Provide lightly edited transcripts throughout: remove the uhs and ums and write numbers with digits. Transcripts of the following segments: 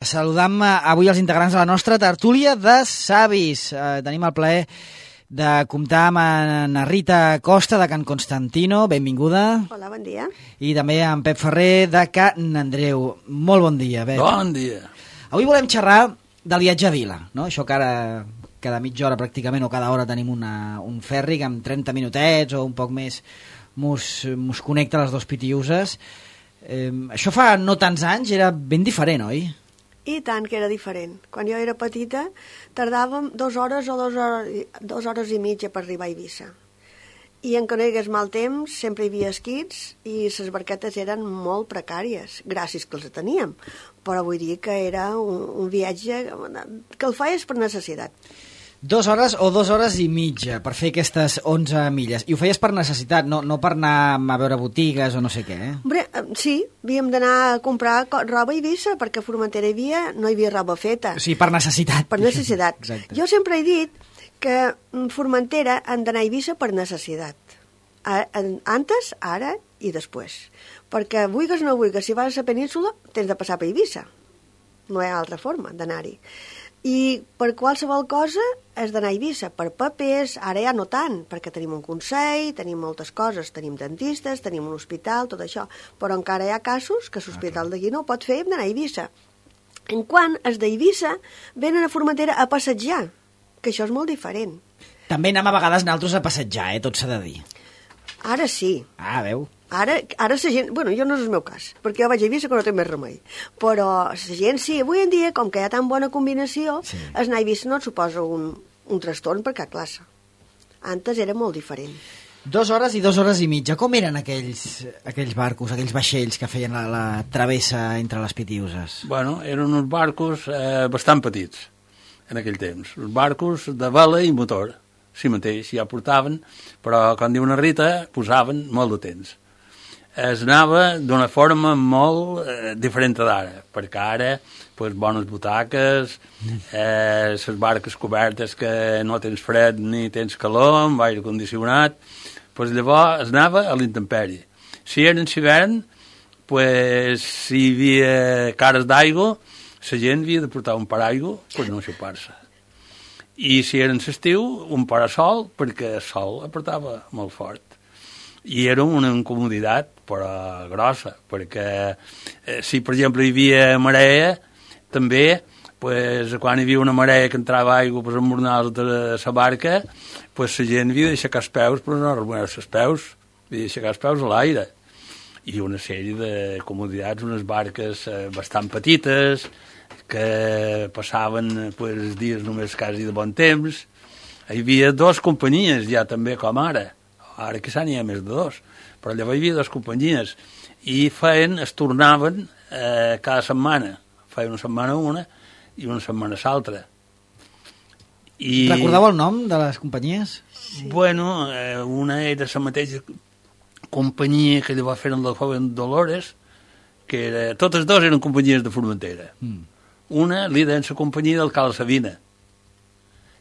Saludam avui els integrants de la nostra tertúlia de savis. Tenim el plaer de comptar amb en Rita Costa de Can Constantino. Benvinguda. Hola, bon dia. I també en Pep Ferrer de Can Andreu. Molt bon dia, Pep. Bon dia. Avui volem xerrar del viatge a Vila, no? Això que ara cada mitja hora pràcticament o cada hora tenim un ferri que amb 30 minutets o un poc més mos connecta a les dos Pitiuses. Això fa no tants anys era ben diferent, oi? I tant que era diferent. Quan jo era petita tardàvem 2 hores o 2 hores i mitja per arribar a Eivissa. I en que no hi hagués mal temps sempre hi havia esquits i les barquetes eren molt precàries, gràcies que els teníem. Però vull dir que era un viatge que el feies per necessitat. 2 hores o 2 hores i mitja per fer aquestes 11 milles. I ho feies per necessitat, no per anar a veure botigues o no sé què, eh? Hombre, sí, havíem d'anar a comprar roba a Eivissa, perquè a Formentera no hi havia roba feta. Sí, per necessitat. Per necessitat. Exacte. Jo sempre he dit que Formentera han d'anar a Eivissa per necessitat. Antes, ara i després. Perquè vulguis o no vulguis, si vas a la península, tens de passar per Eivissa. No hi ha altra forma d'anar-hi. I per qualsevol cosa has d'anar a Eivissa, per papers, ara ja no tant, perquè tenim un consell, tenim moltes coses, tenim dentistes, tenim un hospital, tot això, però encara hi ha casos que l'hospital d'aquí no ho pot fer i hem d'anar a Eivissa. En quant els d'Eivissa venen a Formentera a passejar, que això és molt diferent. També anem a vegades nosaltres a passejar, tot s'ha de dir. Ara sí. Ah, veu? Ara la gent... Bueno, jo no és el meu cas, perquè jo vaig a Eivissa que no té més remei. Però la gent sí, avui en dia, com que hi ha tan bona combinació, sí. Anar a Eivissa no et suposa un trastorn per cap classe. Antes era molt diferent. 2 hores i 2 hores i mitja. Com eren aquells barcos, aquells vaixells que feien la travessa entre les Pitiuses? Bueno, eren uns barcos bastant petits en aquell temps. Uns barcos de vela i motor. Sí mateix, ja portaven, però com diu una Rita, posaven molt de temps. Es anava d'una forma molt diferent d'ara, perquè ara bones butaques, les barques cobertes que no tens fred ni tens calor, amb aire condicionat, llavors es anava a l'intempèrie. Si era en hivern, si hi havia cares d'aigua, la gent havia de portar un paraigua per no xupar-se. I si era en l'estiu, un parasol, perquè el sol apretava molt fort. I era una incomoditat, però grossa, perquè si, per exemple, hi havia marea, també, quan hi havia una marea que entrava aigua per embornar de la barca, la gent havia d'aixecar els peus per no arruïnar-se els peus, havia d'aixecar els peus a l'aire. I una sèrie de comoditats, unes barques bastant petites, que passaven els dies només quasi de bon temps. Hi havia 2 companyies ja també com ara que n'hi ha més de 2, però llavors hi havia 2 companyies i es tornaven cada setmana, feien una setmana una i una setmana l'altra. Recordeu el nom de les companyies? Sí. Bueno, una era la mateixa companyia que llavors feien la Joven Dolores, que totes 2 eren companyies de Formentera. Una li deien la companyia del Cal Sabina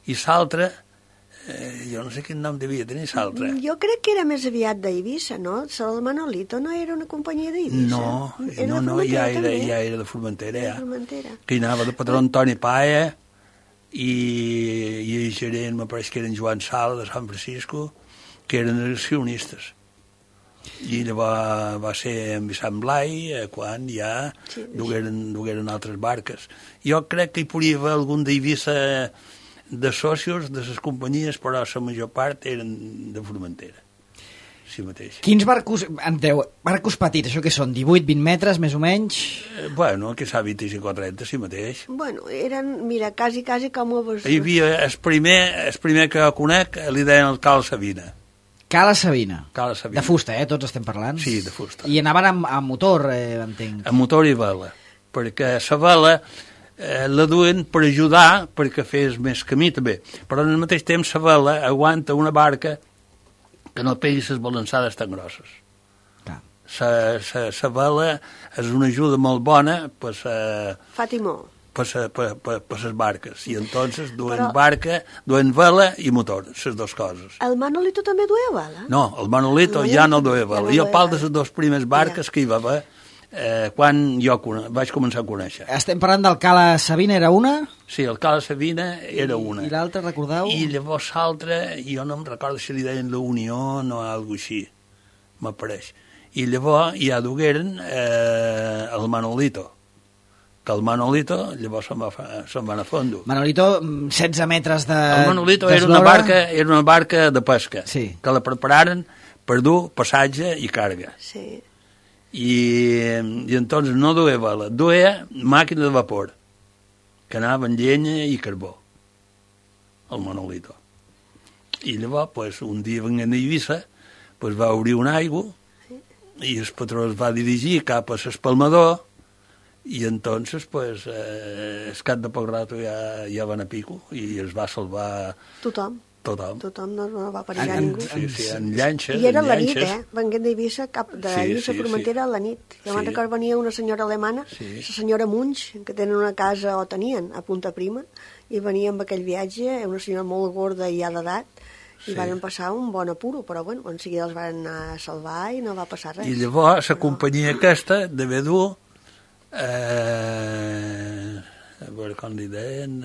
i l'altra jo no sé quin nom devia tenir l'altra. Jo crec que era més aviat d'Eivissa, no? El Manolito no era una companyia d'Eivissa? No, ja era de Formentera, ja. Formentera. Que hi anava de patró Antoni Paia i el gerent, me pareix que eren Joan Sala de Sant Francisco, que eren accionistes. I llavors va ser en Vicent Blai quan ja dugueren altres barques. Jo crec que hi podria haver algun d'Eivissa de socios de les companyies, però la major part eren de Formentera. Sí mateix. Quins barcos, Andreu, barcos petits, això que són, 18-20 metres, més o menys? Bueno, que s'ha 25 o 30, sí mateix. Bueno, eren, mira, quasi com a... Hi havia el primer que conec, li deien el Cal Sabina. Cala Sabina. Cala Sabina. De fusta, tots estem parlant? Sí, de fusta. I anaven amb motor, entenc. Amb motor i vela, perquè la vela la duen per ajudar perquè fes més camí també, però al mateix temps la vela aguanta una barca que no pegui les balançades tan grosses. La vela és una ajuda molt bona per fa timó. Per les barques, i entonces duen barca, duen vela i motor, les dues coses. El Manolito també duia vela? No, el Manolito ja no duia vela. Jo parlo de les dues primeres barques que hi va haver quan jo vaig començar a conèixer. Estem parlant del Cala Savina, era una? Sí, el Cala Savina era una. I l'altra, recordeu? I llavors l'altra, jo no em recordo si li deien la Unió o alguna així, m'apareix. I llavors ja dugueren el Manolito, que el Manolito llavors se'n van a fondo. Manolito, 16 metres de... El Manolito era una barca de pesca, sí, que la prepararen per dur passatge i càrrega. Sí. I entonces no duia vela, duia màquina de vapor, que anava amb llenya i carbó, el Manolito. I llavors, pues, un dia venint d'Eivissa, pues, va obrir una aigua i el patró es va dirigir cap a l'espalmador i entonces, pues, es cap de poc rato ja van a pico i es va salvar Tothom, no va perillar ningú. Sí, en llanxes. I era la nit, venguent d'Eivissa, cap de Eivissa Formentera a la nit. Jo me'n recordo venia una senyora alemana, la senyora Munch, que tenen una casa, o tenien, a Punta Prima, i venia amb aquell viatge, una senyora molt gorda i ja d'edat, i van passar un bon apuro, però bueno, en seguida els van anar a salvar i no va passar res. I llavors la companyia aquesta devia dur a veure com li deien,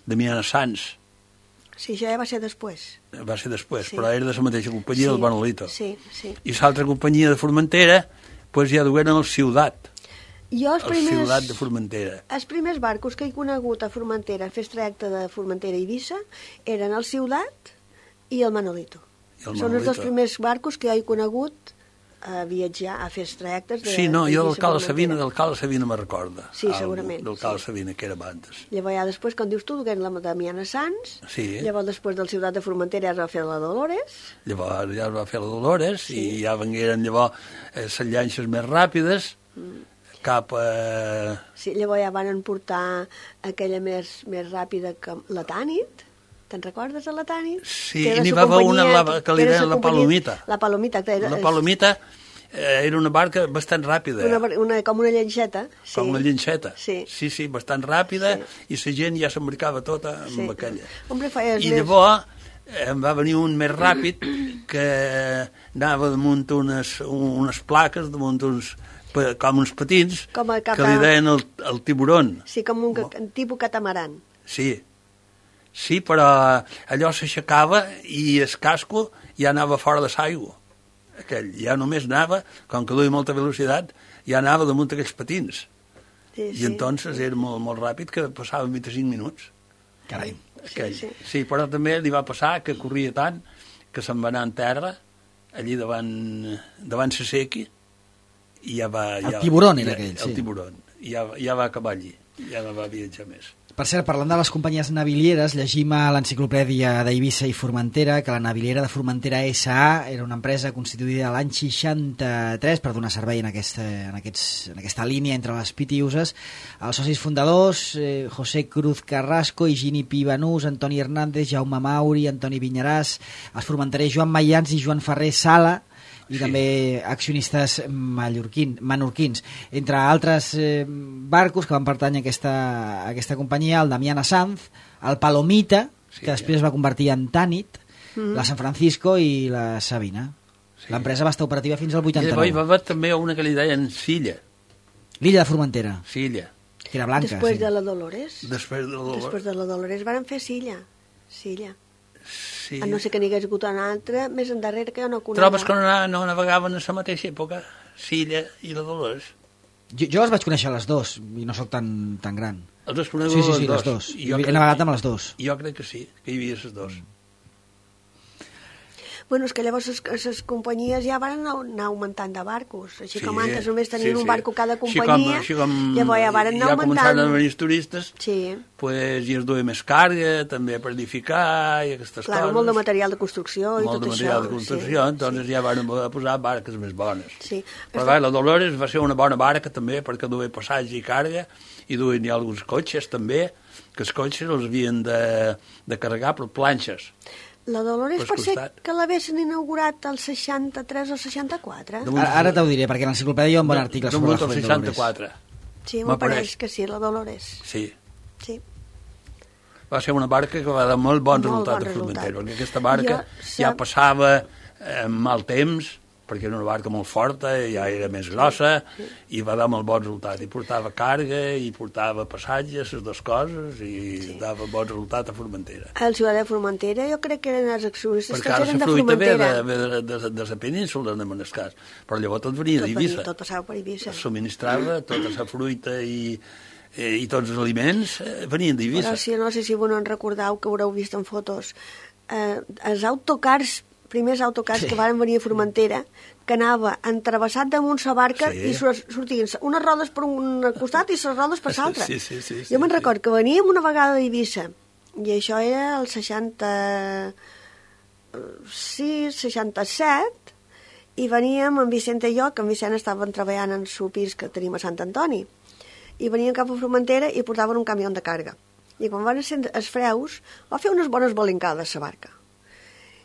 Damiana Sans. Sí, això ja va ser després. Va ser després, però era de la mateixa companyia del Manolito. Sí. I l'altra companyia de Formentera, pues ja dugueren el Ciutat. Jo Ciutat de Formentera. Els primers barcos que he conegut a Formentera, fes trajecte de Formentera a Eivissa, eren el Ciutat i el Manolito. Són els dos primers barcos que jo he conegut a viatjar, a fer trajectes de... Sí, no, jo del Cala Savina me'n recordo. Sí, segurament. Del Cala Savina, que era abans. Llavors ja després, com dius tu, dugueren la Damiana Sans, llavors després del Ciutat de Formentera ja es va fer la Dolores. Llavors ja es va fer la Dolores i ja vengueren llavors les llanxes més ràpides cap a... Sí, llavors ja van portar aquella més ràpida que la Tànit. Te'n recordes de la Tànit? Sí, n'hi va haver una que li deien la Palomita. La Palomita. La Palomita era una barca bastant ràpida. Com una llenxeta. Sí. Com una llenxeta. Sí, bastant ràpida, i la gent ja s'embarcava tota amb aquella. I llavors em va venir un més ràpid que anava damunt unes plaques, damunt com uns patins, que li deien el tiburon. Sí, com un tipus catamaran. Sí, però allò s'aixecava i el casco ja anava fora de l'aigua. Aquell ja només anava, com que duia molta velocitat, ja anava damunt aquells patins. I entonces era molt, molt ràpid, que passava 25 minuts. Carai. Sí, però també li va passar que corria tant que se'n va anar en terra, allí davant la sequi, i ja va... El tiburon era aquell, sí. El tiburon. Ja va acabar allí, ja no va viatjar més. Per cert, parlant de les companyies navilieres, llegim a l'enciclopèdia d'Eivissa i Formentera que la Naviliera de Formentera S.A. era una empresa constituïda l'any 63 per donar servei en aquesta línia entre les pitiuses. Els socis fundadors, José Cruz Carrasco, Higini Pi Banús, Antoni Hernández, Jaume Mauri, Antoni Vinyaràs, els formenterers Joan Maians i Joan Ferrer Sala, i també accionistes menorquins. Entre altres barcos que van pertànyer a aquesta companyia, el Damiana Sanz, el Palomita, que després es va convertir en Tànit, la San Francisco i la Sabina. L'empresa va estar operativa fins al 89. I va haver també una que li deien Silla. L'illa de Formentera. Silla. Que era blanca. Després de la Dolores. Després de la Dolores van fer Silla. Sí. A no sé que n'hi hagués hagut una altra més endarrere que jo no conec. Trobes que no navegaven a la mateixa època, Silla i la Dolores? Jo les vaig conèixer les dues i no sóc tan gran. Els has conegut les dues. He navegat amb les dues. Jo crec que sí, que hi havia les dues. Bueno, és que llavors les companyies ja van anar augmentant de barcos. Així com antes només tenien un barco cada companyia, llavors ja van anar augmentant. Ja començaven a venir els turistes, pues, i es duia més càrrega, també per edificar i aquestes coses. Clar, molt de material de construcció i tot això. Molt de material de construcció, entonces ja van posar barques més bones. Però la Dolores va ser una bona barca també, perquè duia passatge i càrrega, i duien ja alguns cotxes també, que els cotxes els havien de carregar per planxes. La Dolores pot ser que l'haguessin inaugurat el 63 o 64? Ara t'ho diré, perquè en l'enciclopèdia hi ha un bon article sobre la Dolores. 64. Sí, m'apareix que sí, la Dolores. Sí. Va ser una barca que va dar molt bon resultat a Formentera, perquè aquesta barca ja passava mal temps, perquè era una barca molt forta, ja era més grossa, i va dar molt bon resultat. I portava carga, i portava passatges, les dues coses, i dava bon resultat a Formentera. El Ciutat de Formentera jo crec que eren els accionistes perquè que ara eren la de fruita Formentera. ve de la península, en el cas. Però llavors tot venia d'Eivissa. Tot passava per Eivissa. Es subministrava tota la fruita i tots els aliments venien d'Eivissa. Però sí, no sé si vos no en recordeu, que haureu vist en fotos, els autocars, primers autocars que van venir a Formentera, que anava entrevessat damunt la barca i sortien unes rodes per un costat i les rodes per l'altre. Sí, jo me'n record que veníem una vegada a Eivissa, i això era el 66, 67, i veníem amb Vicent i jo, que en Vicent estaven treballant en el pis que tenim a Sant Antoni, i veníem cap a Formentera i portaven un camió de carga. I quan van encendre els freus, va fer unes bones bolincades la barca.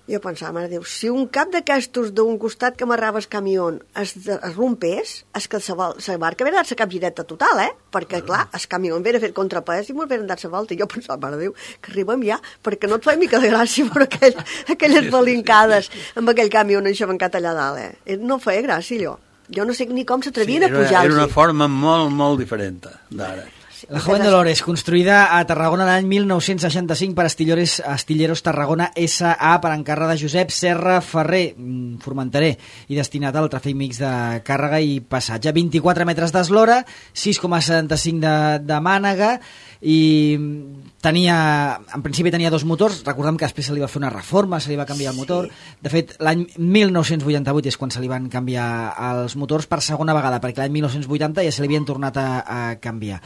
Jo pensava, mare Déu, si un cap d'aquestos d'un costat que amarrava el camió es rompés, és que la barca havia dar-se capgireta total, perquè, clar, el camió havia fet contrapès i m'ho havien dat la volta. I jo pensava, mare Déu, que arribem ja, perquè no et fa mica de gràcia per aquelles bolincades amb aquell camió enxabancat allà dalt, No feia gràcia, allò. Jo no sé ni com s'atrevien a pujar-los. Era una forma molt, molt diferent d'ara. La Joven Dolores, construïda a Tarragona l'any 1965 per Astilleros Tarragona S.A. per encàrrec de Josep Serra Ferrer, formenterer, i destinat al tràfic mix de càrrega i passatge. 24 metres d'eslora, 6,75 de mànega, i en principi tenia dos motors. Recordem que després se li va fer una reforma, se li va canviar el motor. De fet, l'any 1988 és quan se li van canviar els motors per segona vegada, perquè l'any 1980 ja se li havien tornat a canviar.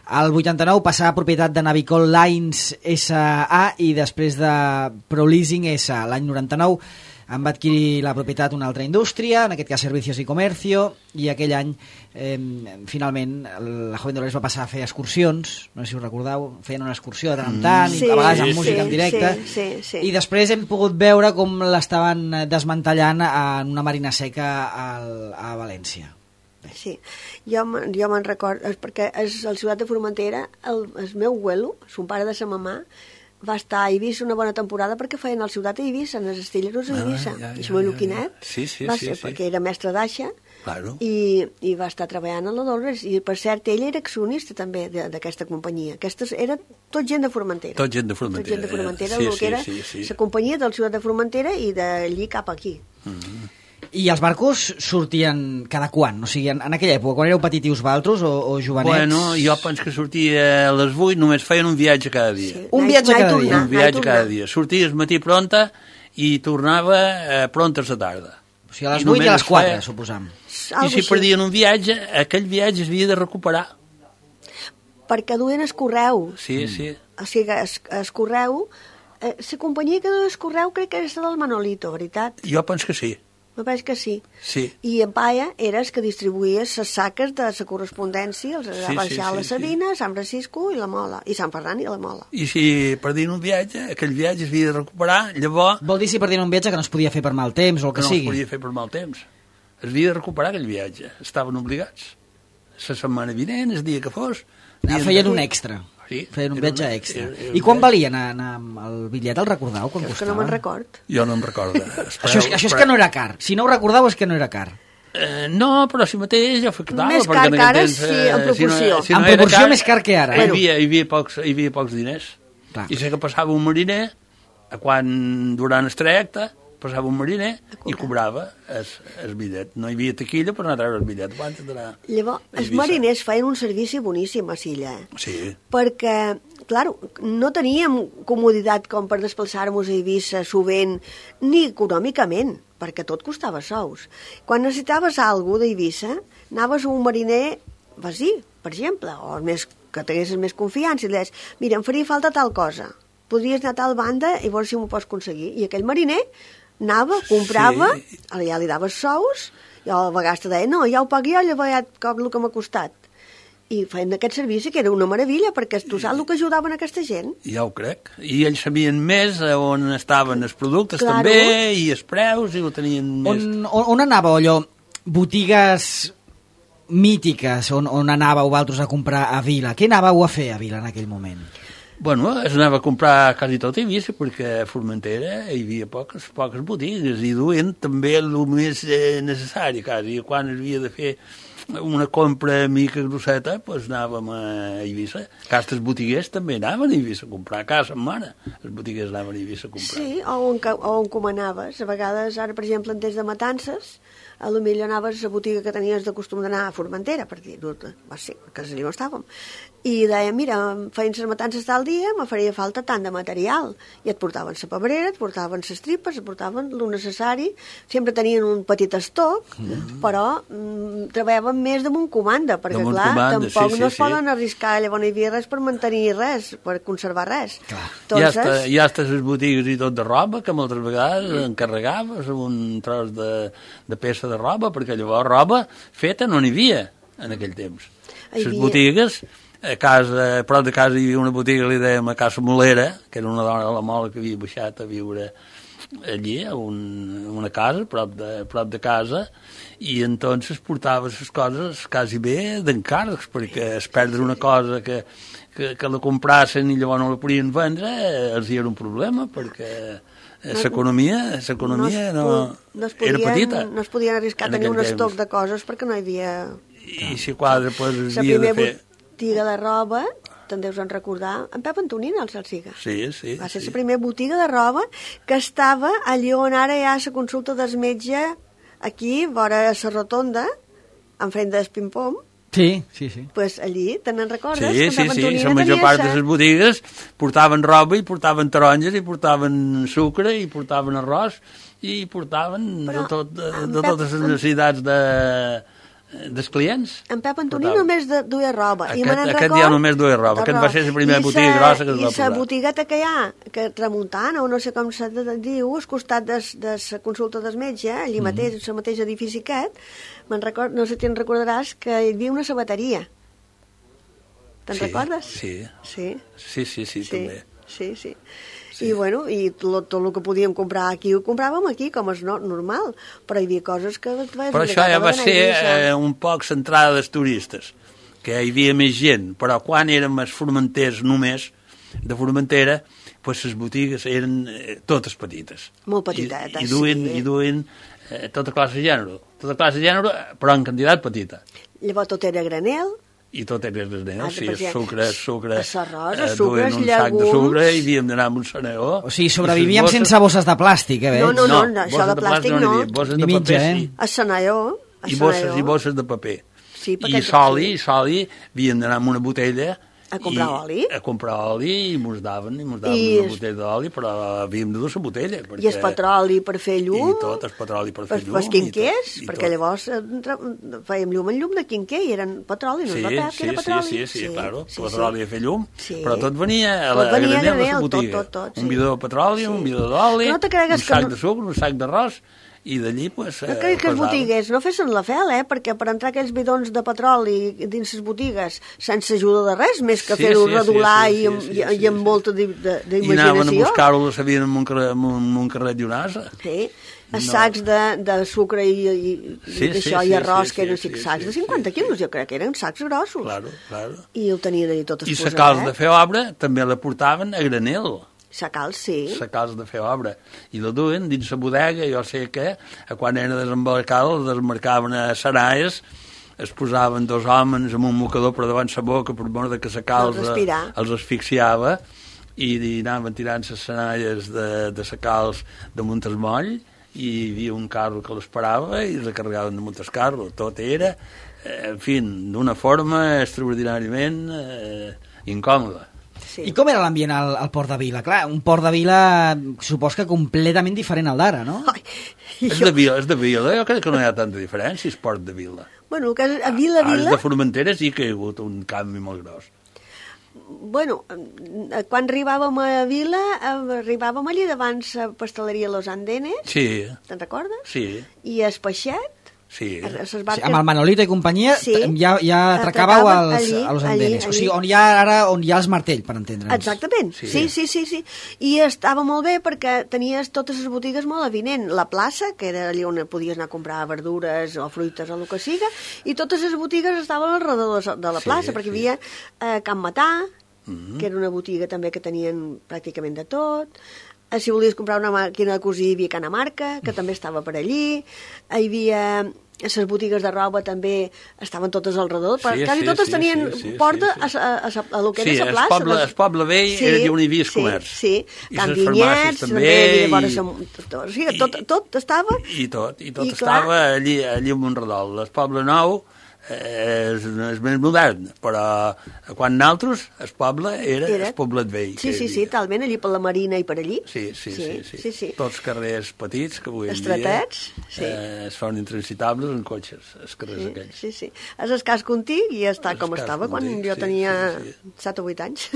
El 89 passà a propietat de Navicol Lines S.A. i després de ProLeasing S.A. L'any 99 en va adquirir la propietat una altra indústria, en aquest cas Servicios y Comercio, i aquell any finalment la Joven Dolores va passar a fer excursions, no sé si us recordeu, feien una excursió de tant en tant, i a vegades amb música en directe, i després hem pogut veure com l'estaven desmantellant en una marina seca a València. Sí, jo me'n recordo, perquè el Ciutat de Formentera, el meu abuelo, son pare de sa mamà, va estar a Eivissa una bona temporada perquè feien el Ciutat a Eivissa, en els Astilleros a Eivissa. I el meu Quinet va ser perquè era mestre d'aixa i va estar treballant a la Dolores. I, per cert, ell era accionista també d'aquesta companyia. Aquesta era tot gent de Formentera. Tot gent de Formentera. Tot gent de Formentera, el que era la companyia del Ciutat de Formentera i d'allí cap aquí. I els barcos sortien cada quan? O sigui, en aquella època, quan éreu petitius valtros o jovenets? Bueno, jo penso que sortia a les 8, només feien un viatge cada dia. Sí. Un viatge cada dia? Un viatge cada dia. Sortia al matí pronta i tornava pronta a la tarda. O sigui, a les 8 i a les 4, suposam. I si perdien un viatge, aquell viatge es havia de recuperar. Perquè duien el correu. Sí, sí. O sigui, el correu... La companyia que duia el correu crec que era del Manolito, veritat? Jo penso que sí. Me pareix que sí. Sí. I en Paia era el que distribuïa les saques de la correspondència, els va baixar a la Sabina, Sant Francisco i la Mola, i Sant Ferran i la Mola. I si perdien un viatge, aquell viatge es havia de recuperar, llavors... Vol dir si perdien un viatge que no es podia fer per mal temps o el que sigui? No es podia fer per mal temps. Es havia de recuperar aquell viatge. Estaven obligats. La setmana vinent, el dia que fos... Feien un extra. Sí, feien un viatge extra. I quan valia anar el bitllet, el recordeu? Quan costava? Que no me'n record. Jo no em recordo. Això és que no era car. Si no ho recordeu és que no era car. No, però si mateix jo afectava. Més car que ara, sí, en proporció. En proporció més car que ara. Hi havia pocs diners. I sé que passava un mariner, durant el trajecte, passava un mariner i cobrava el bitllet. No hi havia taquilla per anar a treure el bitllet. Llavors, els mariners feien un servici boníssim a Silla. Sí. Perquè, clar, no teníem comoditat com per desplaçar-nos a Eivissa sovint, ni econòmicament, perquè tot costava sous. Quan necessitaves alguna cosa d'Eivissa, anaves a un mariner vasí, per exemple, o que tinguessis més confiança, i deies, mira, em faria falta tal cosa. Podries anar a tal banda i veure si m'ho pots aconseguir. I aquell mariner anava, comprava, ja li daves sous, i a vegades te deia, no, ja ho pago jo, llavors ja cop el que m'ha costat. I feien aquest servici, que era una meravella, perquè tu saps el que ajudaven aquesta gent. Ja ho crec. I ells sabien més on estaven els productes també, i els preus, i ho tenien més... On anàveu allò? Botigues mítiques on anàveu vosaltres a comprar a Vila? Què anàveu a fer a Vila en aquell moment? Bueno, es anava a comprar quasi tot a Eivissa, perquè a Formentera hi havia poques botigues i duien també el més necessari, quasi. Quan es havia de fer una compra mica grosseta, doncs anàvem a Eivissa. Aquestes botiguers també anaven a Eivissa a comprar, cada setmana els botiguers anaven a Eivissa a comprar. Sí, o encomanaves. A vegades, ara, per exemple, des de Matances, a lo millor anaves a la botiga que tenies de costum d'anar a Formentera, per dir-ho, va ser, que allà on estàvem. I deia, mira, feien les matances tal dia, me faria falta tant de material. I et portaven la pebrera, et portaven les tripes, et portaven el necessari. Sempre tenien un petit estoc, però treballaven més damunt comanda, perquè, clar, tampoc no es poden arriscar, llavors no hi havia res per mantenir res, per conservar res. Entonces... Hi ha les botigues i tot de roba, que moltes vegades encarregaves un tros de peça de roba, perquè llavors roba feta no n'hi havia en aquell temps. Les botigues... A casa, a prop de casa hi havia una botiga, li dèiem a Casa Molera, que era una dona de la Mola que havia baixat a viure allí, a una casa, prop de casa, i entonces portava les coses quasi bé d'encàrrecs, perquè es perdre una cosa que la comprassen i llavors no la podien vendre, els hi era un problema, perquè l'economia era petita. No es podien arriscar a tenir un estoc de coses perquè no hi havia... I si quadre, doncs, havia de fer... botiga de roba, te'n deus en recordar, en Pep Antonín, el Salsiga. Sí. Va ser la primera botiga de roba que estava allí on ara hi ha la consulta del metge, aquí, vora la rotonda, enfront del Pim-Pom. Sí. Pues allí, te'n recordes? Sí. La major part de les botigues portaven roba i portaven taronges i portaven sucre i portaven arròs i portaven de totes les necessitats dels clients. En Pep Antoní només duia roba. Aquest ja només duia roba. Aquest va ser la primera botiga grossa que es va posar. I la botigueta que hi ha, que Tramuntana, o no sé com se diu, al costat de la consulta del metge, allí mateix, el mateix edifici aquest, no sé si te'n recordaràs que hi havia una sabateria. Te'n recordes? Sí, també. Sí. I, bueno, i tot el que podíem comprar aquí ho compràvem aquí, com és normal, però hi havia coses que... Però això ja va ser un poc centrada dels turistes, que hi havia més gent, però quan érem els formenters només, de Formentera, doncs les botigues eren totes petites. Molt petitetes, I duien tota classe de gènere, però en quantitat petita. Llavors tot era granel, i tot era granel, sucre, arròs, duien un sac de sucre i havíem d'anar amb un saneó. O sigui, sobrevivíem sense bosses de plàstic, veig? No, això de plàstic no. Bosses de paper, sí. A saneó. I bosses de paper. I soli, havíem d'anar amb una botella a comprar oli. A comprar oli i mos daven una botella d'oli, però havíem de dur la botella. I el petroli per fer llum. I tot, el petroli per fer llum. Els quinquers, perquè llavors fèiem llum en llum de quinquer i eren petroli, no es va que era petroli. Sí, claro, petroli a fer llum, però tot venia a granel de la botiga. Un bidó de petroli, un bidó d'oli, un sac de sucre, un sac d'arròs, i d'allí, doncs... No crec que els botiguers no fessin la fel, perquè per entrar aquells bidons de petroli dins les botigues sense ajuda de res, més que fer-ho redolar i amb molta d'imaginació. I anaven a buscar-ho, la sabien amb un carret i un asa. Sí, els sacs de sucre i arròs, que eren sacs de 50 quilos, jo crec que eren sacs grossos. Claro. I ho tenien allà tot exposat. I la calç de fer obra també la portaven a granel. La calç, sí. La calç de fer obra. I la duen dins la bodega, jo sé que quan era desembarcada, la desmarcaven a Saraes, es posaven dos homes amb un mocador per davant la boca per mort que la calç els asfixiava i anaven tirant les senalles de la calç damunt el moll i hi havia un carro que l'esperava i recarregaven damunt el carro. Tot era, en fi, d'una forma extraordinàriament incòmoda. I com era l'ambient al Port de Vila? Clar, un Port de Vila supos que completament diferent al d'ara, no? És de Vila, jo crec que no hi ha tanta diferència, és Port de Vila. Bueno, a Vila... Ara de Formentera sí que hi ha hagut un canvi molt gros. Bueno, quan arribàvem a Vila, arribàvem allí davant la pasteleria Los Andenes. Sí. Te'n recordes? Sí. I el Peixet. Sí. Amb el Manolito i companyia ja atracàveu a Los Andenes. O sigui, on hi ha els martell, per entendre'ns. Exactament, sí. I estava molt bé perquè tenies totes les botigues molt avinent. La plaça, que era allà on podies anar a comprar verdures o fruites o el que siga, i totes les botigues estaven al redador de la plaça, perquè hi havia Can Matà, que era una botiga també que tenien pràcticament de tot. Si volies comprar una màquina de cosir, hi havia Canamarca, que també estava per allí. Hi havia les botigues de roba també estaven totes al redor, quasi totes tenien porta a lo que era la plaça. El poble vell era on hi havia el comerç. Sí, Can Vinyets, també, tot estava. I tot estava allí a Montredol. El poble nou és més modern, però quan nosaltres, el poble era el poblet vell. Sí, talment, allí per la Marina i per allí. Sí. Tots carrers petits que avui en dia són intransitables en cotxes, els carrers aquells. Sí. És el cas contig i està com estava quan jo tenia 7 o 8 anys.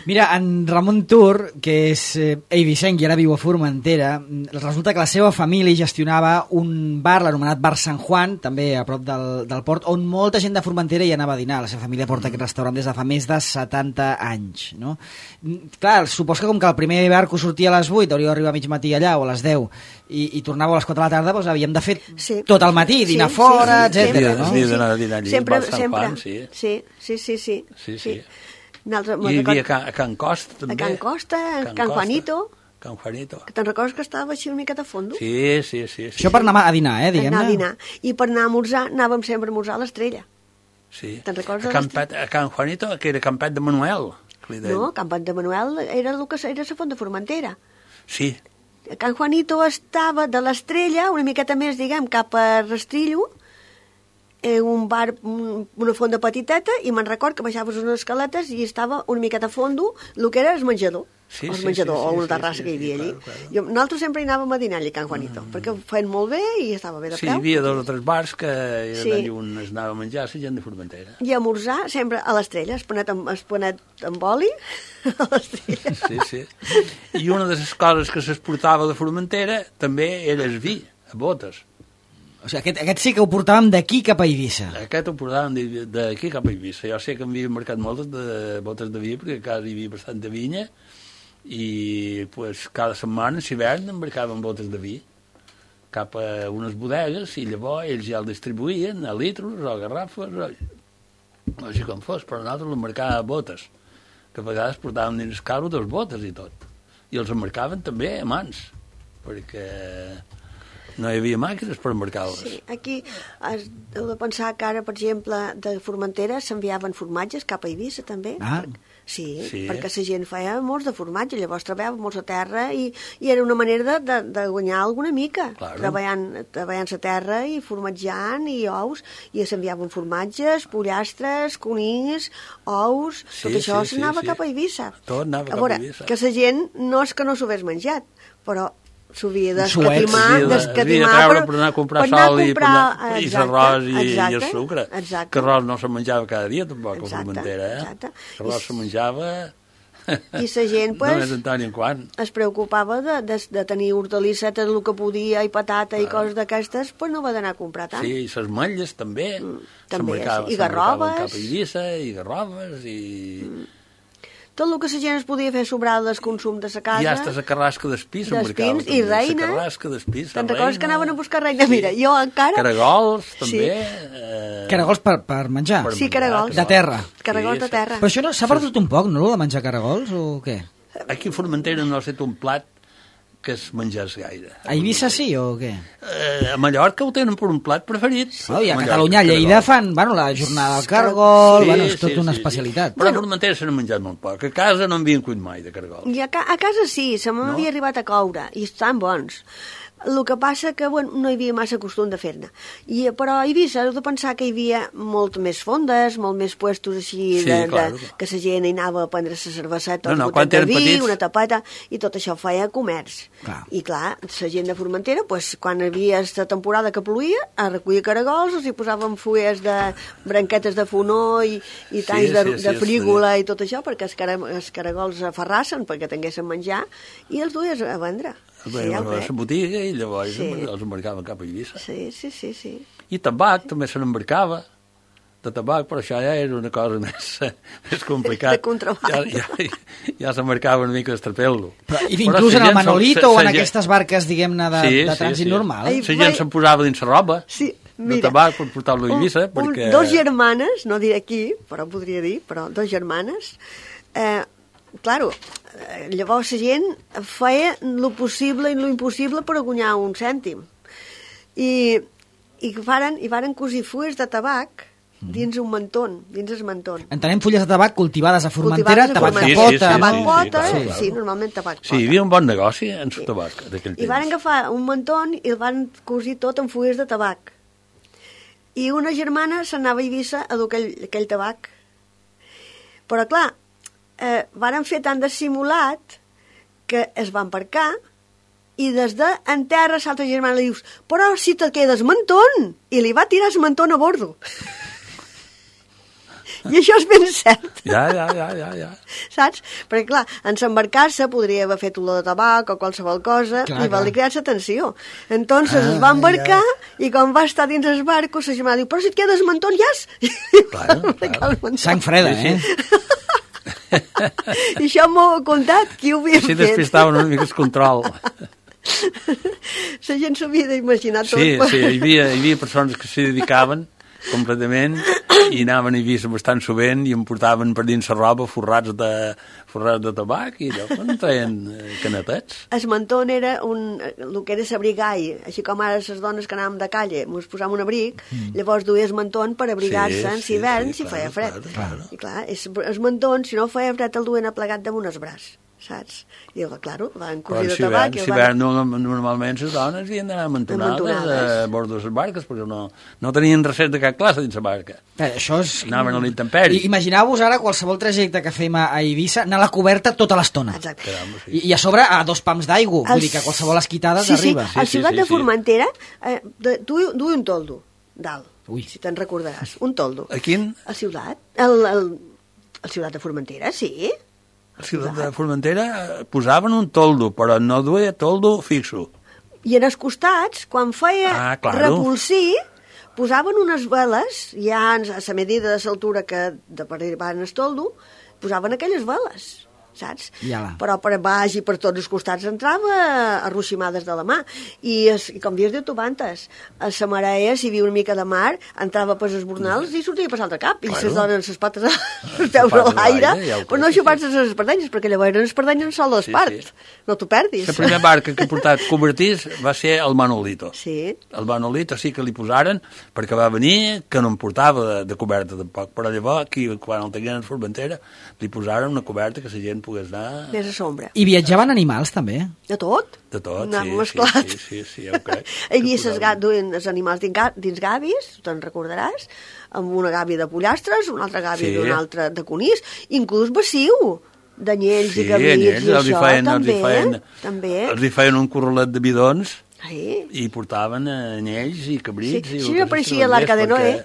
Mira, en Ramon Tur, que és eivissenc i ara viu a Formentera, resulta que la seva família gestionava un bar, l'anomenat Bar San Juan, també a prop del port, on molta gent de Formentera hi anava a dinar. La seva família porta aquest restaurant des de fa més de 70 anys, no? Clar, supos que com que el primer barco sortia a les 8, hauria d'arribar a mig matí allà o a les 10 i tornava a les 4 de la tarda, doncs havíem de fer tot el matí, dinar fora, etc. Sí, d'anar a dinar allí, sempre. Sí. I hi havia a Can Costa, també. A Can Costa, a Can Juanito. Can Juanito. Que te'n recordes que estava així una miqueta a fondo? Sí. Això per anar a dinar, diguem-ne. Anar a dinar. I per anar a esmorzar, anàvem sempre a esmorzar a l'Estrella. Sí. Te'n recordes? A Can Juanito, que era Campet de Manuel. No, Campet de Manuel era el que era la Font de Formentera. Sí. Can Juanito estava de l'Estrella, una miqueta més, diguem, cap a Rastrillo, un bar, una fonda petiteta, i me'n record que baixaves unes escaletes i estava una miqueta a fondo el que era el menjador. O una terrassa que hi havia allí. Nosaltres sempre hi anàvem a dinar allà a Can Juanito, perquè ho feien molt bé i estava bé de preu. Sí, hi havia 2 o 3 bars que eren on es anava a menjar la gent de Formentera. I a esmorzar sempre a l'Estrella, esponet amb oli a l'Estrella. Sí. I una de les coses que s'exportava de Formentera també era el vi, a botes. O sigui, aquest sí que ho portàvem d'aquí cap a Eivissa. Aquest ho portàvem d'aquí cap a Eivissa. Jo sé que m'havia marcat moltes de botes de vi, perquè a casa hi havia bastanta vinya, i pues, cada setmana, si hivern, embarcaven botes de vi cap a unes bodegues, i llavors ells ja el distribuïen a litros o a garrafes, no sé com fos, però nosaltres l'embarcàvem a botes, que a vegades portàvem dins el carro 2 botes i tot. I els embarcaven també a mans, perquè no hi havia màquines per embarcar-les. Sí, aquí heu de pensar que ara, per exemple, de Formentera s'enviaven formatges cap a Eivissa, també. Sí, perquè la gent feia molts de formatge, llavors treballava molts a terra i era una manera de guanyar alguna mica, treballant la terra i formatjant i ous, i s'enviaven formatges, pollastres, conills, ous, tot això s'anava cap a Eivissa. Tot anava cap a Eivissa. Que la gent no és que no s'ho hagués menjat, però s'ho havia d'escatimar per anar a comprar sol i l'arròs i el sucre. Que arròs no se menjava cada dia, tampoc, a Formentera. L'arròs se menjava... I la gent, només en tant i en quant. Es preocupava de tenir hortalissetes, el que podia, i patata i coses d'aquestes, però no va d'anar a comprar tant. Sí, i les metlles també. I garroves. Cap a Eivissa, i garroves, i... Tot el que la gent es podia fer sobrar del consum de la casa. I hasta la carrasca d'espí s'embarcava. I reina. La carrasca d'espí, te'n recordes que anaven a buscar reina? Mira, jo encara... Caragols, també. Caragols per menjar? Sí, caragols. De terra. Caragols de terra. Però això s'ha perdut un poc, no, de menjar caragols, o què? Aquí a Formentera no ha estat un plat que es mengés gaire. A Eivissa sí, o què? A Mallorca ho tenen per un plat preferit. I a Catalunya, a Lleida fan, la jornada del cargol, és tot una especialitat. Però a Formentera se n'ha menjat molt poc. A casa no en havien cuit mai de cargol. I a casa sí, se m'havia arribat a coure, i estan bons. El que passa que no hi havia massa costum de fer-ne. Però a Eivissa heu de pensar que hi havia molt més fondes, molt més puestos així, que la gent hi anava a prendre la cerveseta, un gotet de vi, una tapeta, i tot això feia comerç. I clar, la gent de Formentera, quan hi havia la temporada que ploïa, a recollir caragols, els hi posaven fulles de branquetes de fonó i talls de frígola i tot això, perquè els caragols aferrassen perquè tinguessin menjar, i els duies a vendre. A la botiga, i llavors els embarcaven cap a Eivissa. Sí. I tabac també se n'embarcava, de tabac, però això ja era una cosa més complicada. De contraband. Ja s'embarcava una mica d'estrapel·lo. Inclús en el Manolito o en aquestes barques, diguem-ne, de trànsit normal. La gent se'n posava dins la roba de tabac per portar-lo a Eivissa. 2 germanes, no diré qui, però podria dir, 2 germanes, claro, llavors la gent feia lo possible i lo impossible per guanyar un cèntim. I varen cosir fulles de tabac dins un mantón, dins el mantón. Entenem fulles de tabac cultivades a Formentera, tabac de Formentera. pota. Tabac pota, clar. sí, normalment tabac pota. Sí, hi havia un bon negoci en el tabac d'aquell temps. I van agafar un mantón i el van cosir tot amb fulles de tabac. I una germana s'anava a Eivissa a dur aquell tabac. Però, clar, varen fer tan dissimulat que es va embarcar i des en terra l'altra germana li dius però si te quedes mantón! I li va tirar el mantón a bordo. I això és ben cert. Ja. Saps? Perquè, clar, en s'embarcar-se podria haver fet olor de tabac o qualsevol cosa i va li cridar l'atenció. Entonces es va embarcar i quan va estar dins el barco, la germana diu, però si et quedes mantón, jas! Clar. Sang freda, I això m'ho ha contat, qui ho havia fet. fet. Sí, despistaven una mica el control. La gent s'ho havia d'imaginar tot. Sí, hi havia persones que s'hi dedicaven completament i anaven a Eivissa bastant sovint i em portaven per dins la roba forrats de tabac i allò feien canetets. El mantón era el que era l'abrigall, així com ara les dones que anàvem de calle ens posàvem un abric, llavors duia el mantón per abrigar-se en hivern si feia fred. I clar, el mantón, si no feia fred el duen aplegat damunt el braç, saps? I claro, van cosir de tabac. Si hivern normalment les dones havien d'anar amantonades a bord de les barques perquè no tenien reset de cap classe dins la barca. Això és... Anaven a l'intemperi. Imagineu-vos ara qualsevol trajecte que fem a Eivissa anar a la coberta tota l'estona. Exacte. I a sobre a 2 pams d'aigua, vull dir que qualsevol esquitada t'arriba. Sí, a Ciutat de Formentera duia un toldo dalt, si te'n recordaràs, un toldo. A quin? A Ciutat. A Ciutat de Formentera, sí. A Ciutat de Formentera posaven un toldo, però no duia toldo fixo. I en els costats, quan feia repulsir, posaven unes veles, ja a la medida de l'altura que de per arribar en el toldo, posaven aquelles veles, saps? Però per baix i per tots els costats entrava arroximades de la mà. I com dius, diu Tubantes, a la marea, si hi havia una mica de mar, entrava per els bornals i sortia per l'altre cap. I les donen les pates els peus a l'aire, però no xupar-se les espardenyes, perquè llavors les espardenyes sol l'espart. No t'ho perdis. La primera barca que ha portat cobertís va ser el Manolito. Sí. El Manolito sí que li posaren, perquè va venir, que no em portava de coberta tampoc, però llavors, aquí, quan el tenien a Formentera, li posaren una coberta que la gent pogués anar... Més a sombra. I viatjaven animals, també? De tot? De tot, sí, ja ho crec. Hi havia duien els animals dins gavis, te'n recordaràs, amb una gàbia de pollastres, una altra gàbia d'un altre de conills, inclús baciu, d'anyells i gavits i això, també. Els hi feien un corralet de bidons i portaven anyells i cabrits. Sí, apareixia l'Arca de Noé.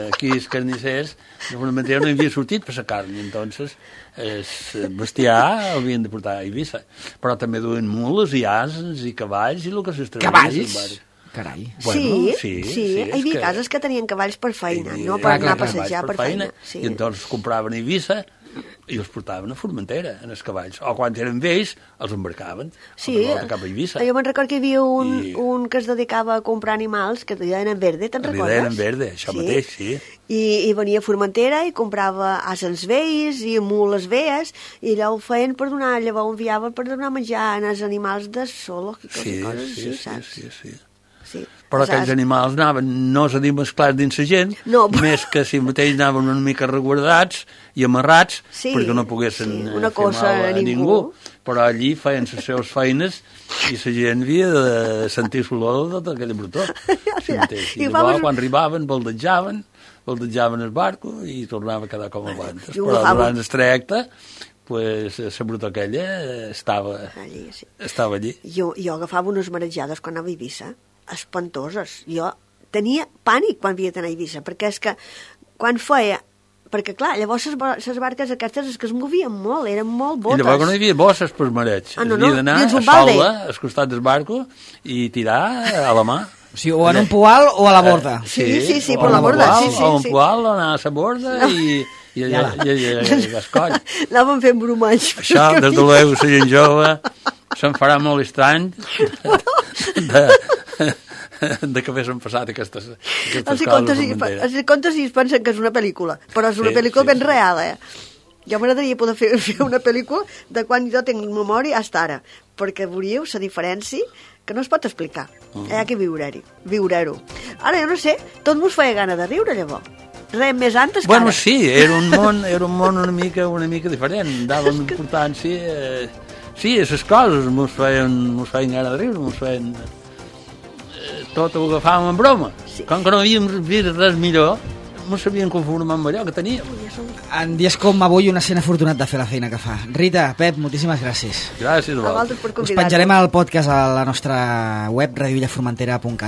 Aquí els carnissers normalment no havia sortit per la carn, i entonces el bestiar havien de portar a Eivissa. Però també duen mules i asens i cavalls i el que s'estrenia. Cavalls? Carai. Sí, hi havia cases que tenien cavalls per feina, no per anar a passejar per feina. I entonces compraven a Eivissa i els portaven a Formentera, en els cavalls. O quan eren vells, els embarcaven cap a Eivissa. Jo me'n recordo que hi havia un que es dedicava a comprar animals, que li deien en verde, te'n recordes? Li deien en verde, això mateix, sí. I venia a Formentera i comprava asens vells i mules velles, i allò ho feien per donar, llavors ho enviaven per donar menjar als animals de solo, Sí. Però aquells animals anaven, no és a dir mesclats dins la gent, més que si mateix anaven una mica reguardats i amarrats, perquè no poguessin fer mal a ningú. Però allí feien les seves feines i la gent havia de sentir l'olor de tota aquella brutor. I llavors, quan arribaven, baldejaven el barco i tornava a quedar com abans. Però durant el trajecte, la brutor aquella estava allí. Jo agafava unes marejades quan anava a Eivissa, espantoses. Jo tenia pànic quan havia d'anar a Eivissa, perquè és que quan feia... Perquè, clar, llavors les barques aquestes és que es movien molt, eren molt botes. I llavors no hi havia bosses per mareig. Havia d'anar a sola, al costat del barco, i tirar a la mà. Sí, o en un poal o a la borda. Sí, per la borda. O un poal, o anar a la borda i gascoll. Anàvem fent bromalls. Això, des de l'ego, la gent jove, se'n farà molt estrany de que haguessin passat aquestes coses. Els contes i es pensen que és una pel·lícula, però és una pel·lícula ben real, Jo m'agradaria poder fer una pel·lícula de quan jo tinc memòria fins ara, perquè veuríeu la diferència que no es pot explicar. Hi ha que viure-ho. Ara, jo no sé, tot mos feia gana de riure, llavors. Res més antes que Bueno, ara. sí, era un món una mica diferent, dàvem importància... Sí, a les coses mos feien gana de riure, mos feien... tot ho agafàvem en broma. Sí. Com que no havíem vist res millor, mos sabíem conformar amb allò que teníem. En dies com avui, un escena afortunat de fer la feina que fa. Rita, Pep, moltíssimes gràcies. Gràcies a A vosaltres. vosaltres per Us convidar-nos. penjarem el podcast a la nostra web radiovillaformentera.cat.